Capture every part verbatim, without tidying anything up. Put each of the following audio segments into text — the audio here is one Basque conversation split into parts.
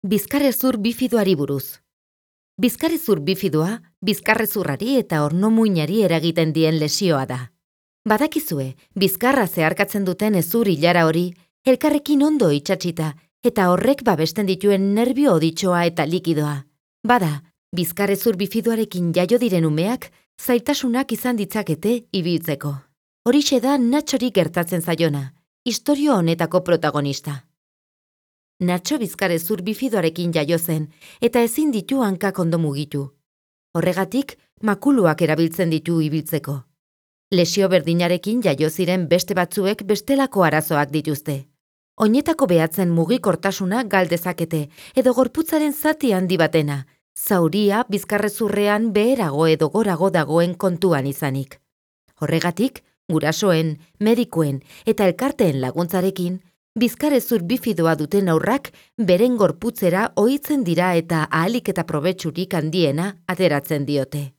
Bizkarrezur bifidoari buruz. Bizkarrezur bifidoa, bizkarrezurrari eta ornomuinari eragiten dien lesioa da. Badakizue, bizkarra zeharkatzen duten hezur ilara hori, elkarrekin ondo itsatsita, eta horrek babesten dituen nerbio oditxoa eta likidoa. Bada, bizkarrezur bifidoarekin jaio diren umeak, zailtasunak izan ditzakete ibiltzeko. Horixe da Natxori gertatzen zaiona, istorio honetako protagonista. Natxo bizkarrezur bifidoarekin jaio zen, eta ezin ditu hankak ondo mugitu. Horregatik, makuluak erabiltzen ditu ibiltzeko. Lesio berdinarekin jaio ziren beste batzuek bestelako arazoak dituzte. Oinetako behatzen mugikortasuna galdezakete, edo gorputzaren zati handi batena, zauria bizkarrezurrean beherago edo gorago dagoen kontuan izanik. Horregatik, gurasoen, medikuen eta elkarteen laguntzarekin, bizkarrezur bifidoa duten aurrak beren gorputzera ohitzen dira eta ahalik eta probetsurik handiena ateratzen diote.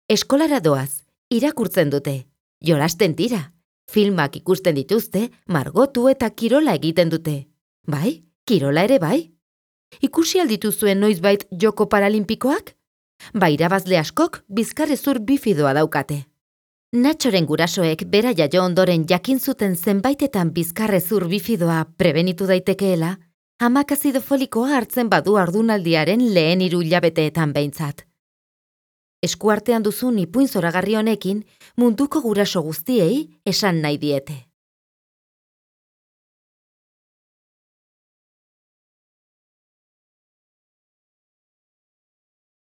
Eskolara doaz, irakurtzen dute, jolasten dira, filmak ikusten dituzte, margotu eta kirola egiten dute. Bai, kirola ere bai? Ikusi aldituzuen noizbait joko paralimpikoak? Ba, irabazle askok bizkarrezur bifidoa daukate. Natxoren gurasoek bera jaio ondoren jakin zuten zenbaitetan bizkarrezur bifidoa prebenitu daitekeela, amak azido folikoa hartzen badu haurdunaldiaren lehen hiru hilabeteetan behintzat. Eskuartean duzun ipuin zoragarri honekin munduko guraso guztiei esan nahi diete.